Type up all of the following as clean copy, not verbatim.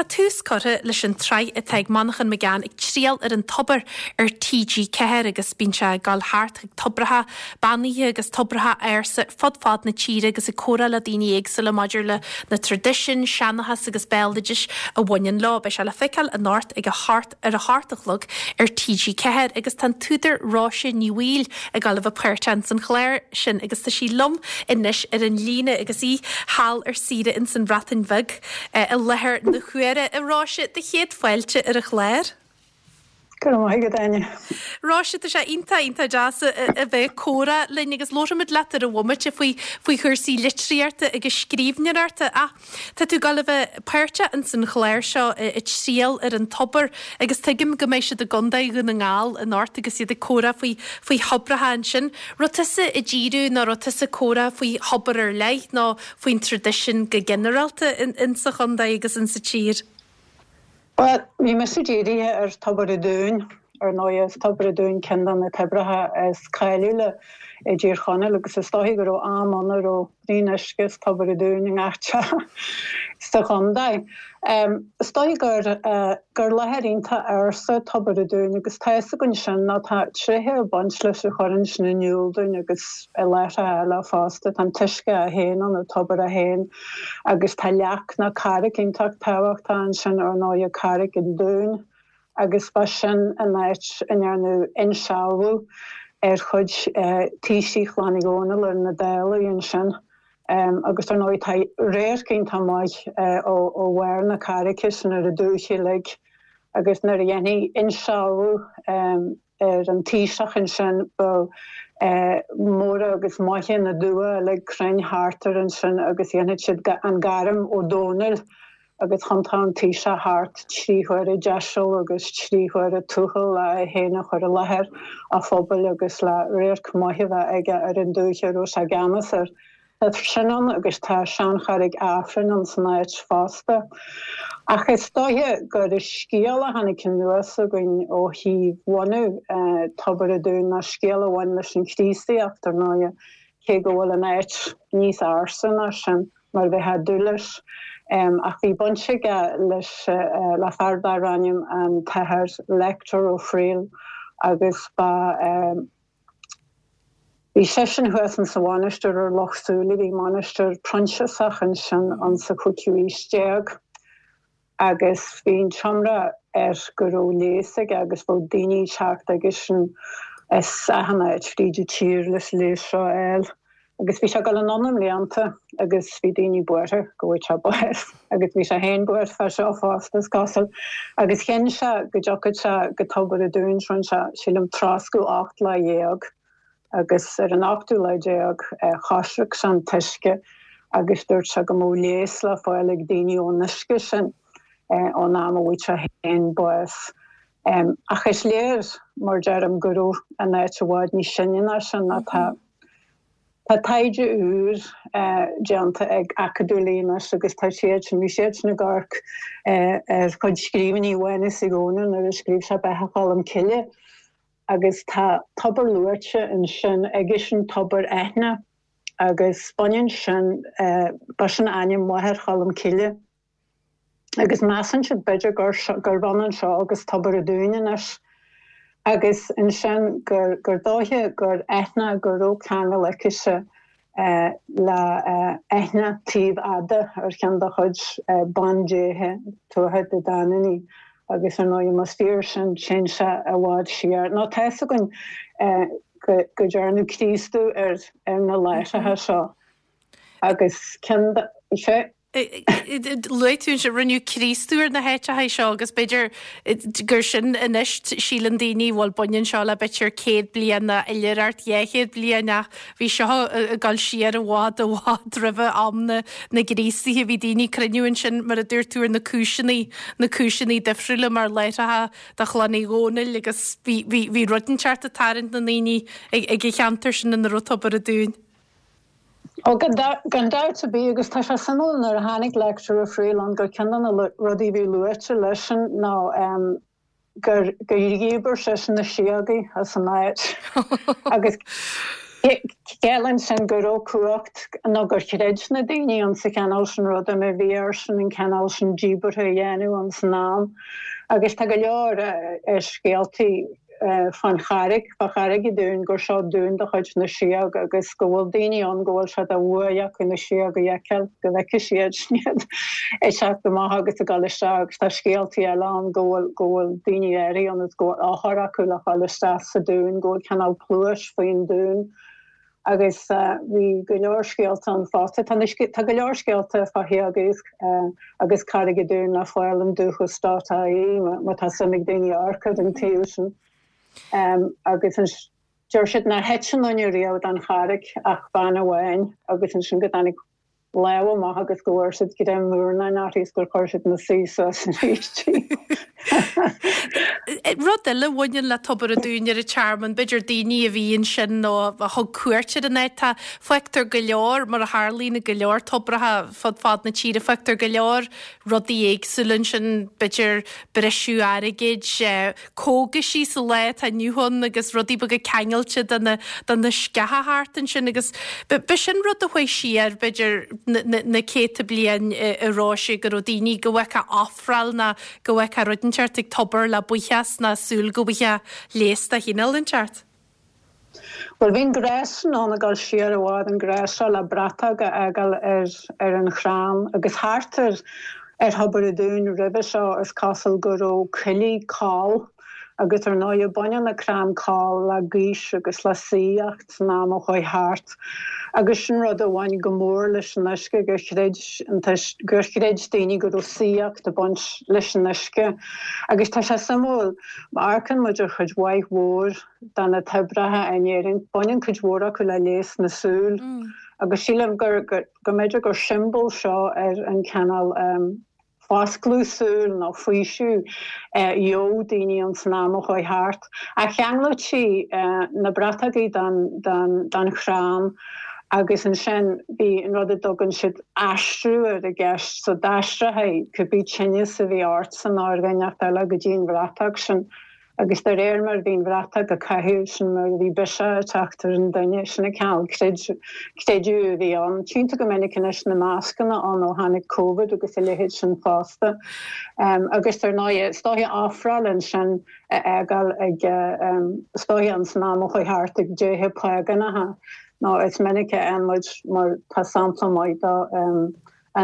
tá tús curtha leis an tsraith atá ag Manchán Magan Ag Triall ar an Tobar ar TG4 agus bíonn sé ag dul thart chuig tobracha beannaithe agus tobracha ársa fud fad na tíre agus ag comhrá le daoine éagsúla maidir le na traidisiúin, seanchas agus béaloidis a bhaineann leo. Beidh sé le feiceáil anocht ag a hocht ar a hocht a chlog ar TG4 agus tá an t-údar Róise Ní Bhaoill ag dul a bheith páirteach ins an chlár sin agus tá sí liom anois ar an líne agus í thall ar saoire ins an Bhreatain Bheag i láthair na huaire. A Róise, do chéad fáilte ar an chlár. Go raibh maith agat, Áine. Róise, tá sé iontach, iontach deas a bheith ag comhrá linn agus labharfaimid leat ar an bhomaite faoi faoi chúrsaí litríochta agus scríbhneoireachta ach tá tú ag dul a bheith páirteach ins an chlár seo Ag Triall ar an Tobar agus tuigim go mbeidh siad i gContae Dhún na nGall anocht agus iad ag comhrá faoi faoi thobracha ansin. Raibh tusa ag díriú nó raibh tusa ag comhrá faoi thobar ar leith nó faoin traidisiún go ginearálta insa chontae agus insa tír? Bhuel, bhí mise dírithe ar Tobar an Dúin. Ar ndóigh, is Tobar an Dúin ceann de na toibreacha is cáiliúla i dTír Chonaill agus is dóichí go raibh am ann a raibh braon uisce as Tobar an Dúin i ngach teach sa chontae. Is dóichí gur gur láthair iontach ársa Tobar an Dúin agus tá fhios againn sin nó tá tréithe ag baint leis a chuireann sin in iúl dúinn agus i láithreacha eile fosta. Tá an t-uisce é féin ann, an tobar é féin. Agus tá leac nó carraig iontach tábhachtach ansin, ar ndóighe, Carraig an Dúin, agus ba sin an áit a ndearnadh insealbhú ar chuid taoisigh Chlann Uí Dhónaill ar na Dálaigh ansin. Agus ar ndóigh tá radharc iontach maith ó bharr na carraice sin ar an dúiche uilig agus nuair a dhéanfaí insealbhú ar an taoiseach ansin, bheadh móra agus maithe na dtuath uilig cruinn thart air ansin agus dhéanfadh siad an gairm Ó Dónaill agus thiontódh an taoiseach thart trí huaire deiseal agus trí huaire tuathal le é féin a chur i láthair a phobail agus le radharc maith a bheith aige ar an dúiche a raibh sé i gceannas air. Tá sin ann agus tá seancharraig Aifrinn ann san áit fosta. Ach is dóiche gur an scéal a tháinig anuas againn ó thaobh bhunú Tobar an Dúin ná scéal a bhain leis an Chríostaíocht, ar ndóighe, cé go bhfuil an áit níos ársa ná sin, mar a bheifeá ag dúil leis. Ach bhí baint aige leis, le fear darbh ainm an tAthair Lector Ó Frighil agus ba. Bhí seisean thuas insa mhainistir ar Loch Súilí, bhí mainistir Proinsiasach ansin insa chúigiú aois déag agus bhí an t-iomrá air go raibh leigheas aige agus bheadh daoine ag teacht aigesean as achan áit fríd an tír leis an leigheas seo a fháil. Agus bhí sé ag dul anonn i mblianta agus bhí daoine buartha go bhfaigheadh sé bás agus bhí sé féin buartha fá seo fosta, is cosúil. Agus chinn sé go dtiocfadh sé go Tobar an Dúin, rinne sé, sílim, troscadh 18 lá agus ar an ochtú lá déag choisric sé an t-uisce agus dúirt sé go mbeadh leigheas le fáil ag daoine ón uisce sin ón am a bhfaigheadh sé féin bás. Ach is léir, mar deirim, go raibh an áit i bhfad níos sine ná sin nó tá tá taighde úr déanta ag acadúlaí anois agus tá siad sin, bhí siad sin ag amharc ar chuid scríbhinní Mhánuis Uí Dhónaill nuair a scríobh sé Beatha Cholm Cille agus tá tobar luaite ansin aigesean Tobar Eithne agus baineann sin, ba sin ainm mháthair Cholm Cille. Agus measann siad b'fhéidir gur gurb ionann seo agus Tobar an Dúin anois. Agus ansin gur gur dóiche gur Eithne go raibh ceangal aicise le Eithne Taobh Fhada ar cheann de chuid bandéithe Tuatha Dé Danann í. Agus ar ndóigh más fíor sin téann sé i bhfad siar. Nó tá fhios againn go go dearnadh Críostú ar ar na láithreacha seo agus ceann de sé Luaigh tú ansin, rinneadh Críostú ar na háiteacha seo agus b'fhéidir gur sin anois, síleann daoine, bhuel baineann seo le b'fhéidir 100 bliain nó oilithreacht 200 bliain ach bhí seo ag dul siar i bhfad i bhfad roimhe am na na gCríostaithe. Bhí daoine ag cruinniú ansin mar a dúirt tú ar na cúiseanna, na cúiseanna difriúla mar láithreacha do Chlann Uí Dhónaill agus bhí, bhí, bhí rud inteacht ag tarraingt na ndaoine ag ag an cheantar sin ina raibh Tobar an Dúin. Ó, gan dabht ar bith, agus tá sé suimiúil nuair a tháinig Lector Ó Frighil ann gur ceann de na rudaí a bhí luaite leisean ná gur gur dhíbir seisean na síogaí as an áit agus. Ciallaíonn sin go raibh cumhacht nó gur chreid na daoine ann sa chineál sin ruda má bhí airsean an cineál sin díbeartha a dhéanamh ann san am. Agus tá go leor scéaltaí fán charraig, fá Charraig an Dúin, gur seo dún de chuid na síóg agus go bhfuil daoine ann go bhfuil sé de bhuaidh acu na síóga a fheiceáil, go bhfeicfidh siad iad ag teacht amach agus ag dul isteach agus tá scéaltaí eile ann go bhfuil go bhfuil daoine áirithe ann is go bhfuil eochair acu le dhul isteach sa dún, go bhfuil cineál pluais faoin dún. Agus bhí go leor scéalta ann fosta. Tá na, tá go leor scéalta fá shíóga agus Carraig an Dúin le fáil in Dúchas dot ie má tá suim ag daoine amharc ar an taobh sin. Agus deir siad nár thit aon duine riamh den charraig ach bean amháin agus ansin go dtáinig lámh amach agus go bhfuair siad greim murnáin uirthi is gur chuir siad ina suí suas arís í. Rud eile a bhaineann le Tobar an Dúin ar an Tearmann, b'fhéidir daoine a bhí ansin nó a thug cuairt ar an áit, tá, feictear go leor, mar a tharlaíonn i go leor tobracha fud fad na tíre, feictear go leor rudaí éagsúla ansin, b'fhéidir briseadh airgid, cógaisí sa lá atá inniu ann agus rudaí beaga ceangailte de na, de na sceacha thart ansin agus b'shin rud a chuaigh siar b'fhéidir na céadta bliain a Róise go raibh daoine go bhfeicfeá ofráil nó go bhfeicfeá rud inteacht ag tobar le buíochas nó súil go bhfaighfeá leigheas de chineál inteacht. Bhuel, bhí an gnás sin ann ag dul siar i bhfad, an gnás seo le bratóg a fhágáil ar ar an chrann agus thart ar ar Thobar an Dúin roimhe seo is cosúil go raibh coillidh coll agus ar ndóighe baineann an crann coll le gaois agus le saíocht san am a chuaigh thart agus sin rud a bhain go mór leis an uisce gur chreid an gur chreid daoine go raibh saíocht ag baint leis an uisce agus tá sé suimiúil má amharcann muid ar chuid mhaith mhór de na toibreacha in Éirinn. Baineann cuid mhór acu le leigheas na súl agus sílim gur go mb'fhéidir gur siombail seo ar an cineál foscladh súl nó faoiseamh a gheobhadh daoine ann san am a chuaigh thart. Ach cheanglaítí na bratógaí den chrann agus ansin bhí an rud a dtugann siad aistriú air i gceist, so d'aistreofaí cibé tinneas a bhí ortsa nó ar dhuine inteacht eile go dtí an bhratóg sin. Agus de réir mar a bhí an bhratóg á caitheamh, sin mar a bhí biseach ag teacht ar an duine. Sin an cineál creideamh a bhí ann. Tchíonn tú go minic anois na mascanna ann ó tháinig Covid agus a leithéid sin fosta. Agus ar ndóighe, is dóiche ofráil ansin a fhágáil ag, is dóiche ins an am a chuaigh thart ag déithe págánacha. Nó is minic a fhaigheann muid, mar tá sampla maith de, in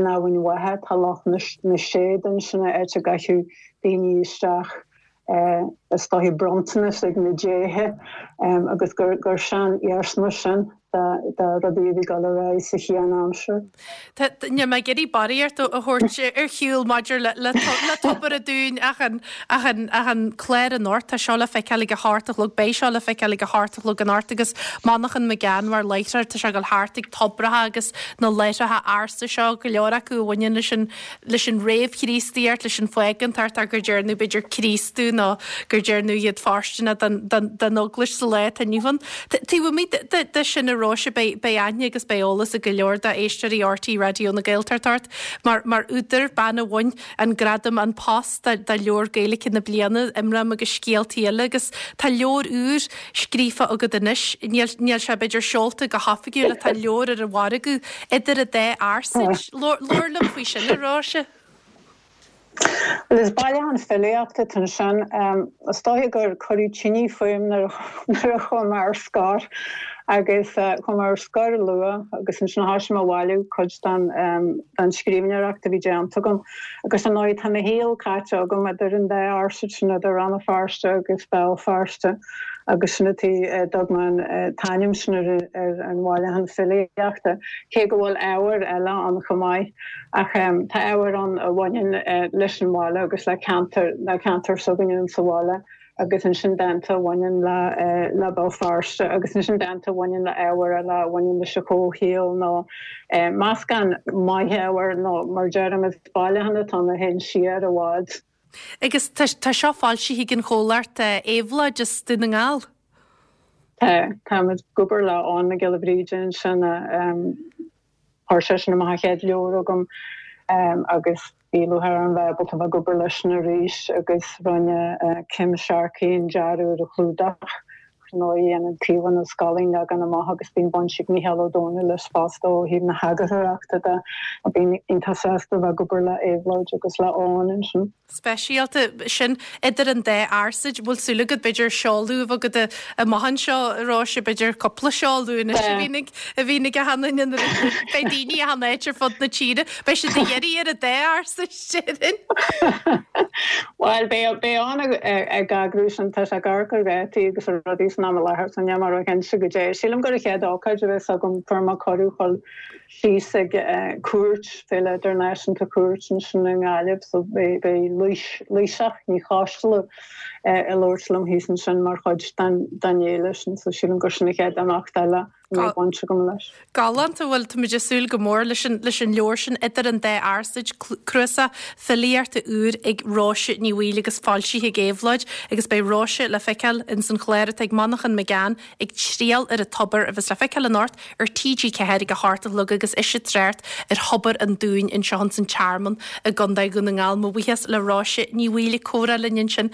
Eamhain Mhacha, tá Loch na Séad ansin, áit a gcaitheadh daoine isteach is dóiche bronntanas ag na déithe agus gur sean-iarsma sin de rudaí a bhí ag dul ar aghaidh sa chianaimsir. Níl mé ag iarraidh barraíocht a thabhairt ar shiúl maidir le Tobar an Dúin ach an clár anocht, tá seo le feiceáil ag a hocht a chlog, beidh seo le feiceáil ag a hocht a chlog anocht agus Manchán Magan mar láithreoir, tá sé ag dul thart ag tobracha agus na láithreacha ársa seo, go leor acu a bhaineann leis an leis an réamh-Chríostaíocht, leis an phágántacht ach gur déarnadh b'fhéidir Críostú nó gur déarnadh iad fóirsteanach don Eaglais sa lá atá inniu ann. Taobh amuigh de sin a Róise, beidh aithne agus beidh eolas ag go leor d'éisteoirí RTÉ Raidió na Gaeltachta ort mar údar, bean a bhain an gradam An Post do Leabhar Gaeilge na Bliana, Imram agus Scéaltaí Eile agus tá leabhar úr scríofa agat anois. Níl níl sé b'fhéidir seolta go hoifigiúil ach tá leabhar ar an mhargadh idir an dá fhearsaid. Labhair liom faoi sin, a Róise. Bhuel, is bailiúchán filíochta atá ansin. Is dóiche gur cuireadh tine fúm nuair a chuaigh mé ar scor agus chuaigh mé ar scor luath agus ansin thosaigh mé a bhailiú cuid den scríbhneoireacht a bhí déanta agam. Agus ar ndóigh tá mo shaol caite agam idir an dá fhearsaid sin, idir Rann na Feirste agus Béal Feirste agus sin an tuige a dtug mé an t-ainm sin ar an bhailiúchán filíochta, cé go bhfuil ábhair eile ann chomh maith. Ach tá ábhair ann a bhaineann leis an bhaile agus le ceantar, le ceantar s'againne sa bhaile. agus ansin dánta a bhaineann le le Béal Feirste agus ansin dánta a bhaineann le ábhair eile a bhaineann leis an chomhshaol nó meascán maith ábhair nó mar deirim is bailiúchán atá ann a théann siar i bhfad. Agus tá seo foilsithe ag an chomhlacht Éabhlóid as Dún na nGall. Tá, táimid ag obair le Eoghan Mac Giolla Bhríde ansin a Chuir seisean amach an chéad leabhar agam agus bhí lúcháir orm bheith ábalta bheith ag obair leisean arís agus rinne Kim Sharkey an dearadh ar an chlúdach. Ar ndóigh, a dhéanann Caomhán Ó Scanláin leagan amach agus bíonn baint ag Mícheál Ó Domhnaill leis fosta ó thaobh na heagarthóireachta de. Bím iontach sásta a bheith ag obair le Éabhlóid agus le Eoin ansin. Speisialta sin idir an dá fhearsaid. Bhfuil súil agat b'fhéidir seoladh a bheith agat amach anseo, a Róise, b'fhéidir cúpla seoladh anois a bhíonn ag a bhíonn ag achan duine nuair a beidh daoine achan áit ar fud na tíre. Beidh siad ag iarraidh ar an dá fhearsaid, déarfainn. Bhuel, beidh beidh Eoin ag eagrú sin, tá sé ag amharc ar dhátaí agus ar rudaí san am i láthair so níl mé róchinnte goidé. Sílim gur an chéad ócáid a bheas agam, fuair mé cuireadh dhul síos ag Cúirt, Féile Idirnáisiúnta Cúirt ansin i nGaillimh so beidh Laoighseach Ní Choisdealbha ag labhairt liom thíos ansin mar chuid den fhéile sin so sílim gur sin an chéad imeacht eile a mbeidh baint agam leis. Galánta, bhuel táimid ag súil go mór leis an leis an leabhar sin Idir an Dá Fhearsaid, cnuasach filíochta úr ag Róise Ní Bhaoill agus foilsithe ag Éabhlóid agus beidh Róise le feiceáil ins an chlár atá ag Manchán Magan Ag Triall ar an Tobar a bheas le feiceáil anocht ar TG4 ag a hocht a chlog agus ise ag trácht ar Thobar an Dúin anseo ins an Tearmann i gContae Dhún na nGall. Mo bhuíochas le Róise Ní Bhaoill ag comhrá linn ansin.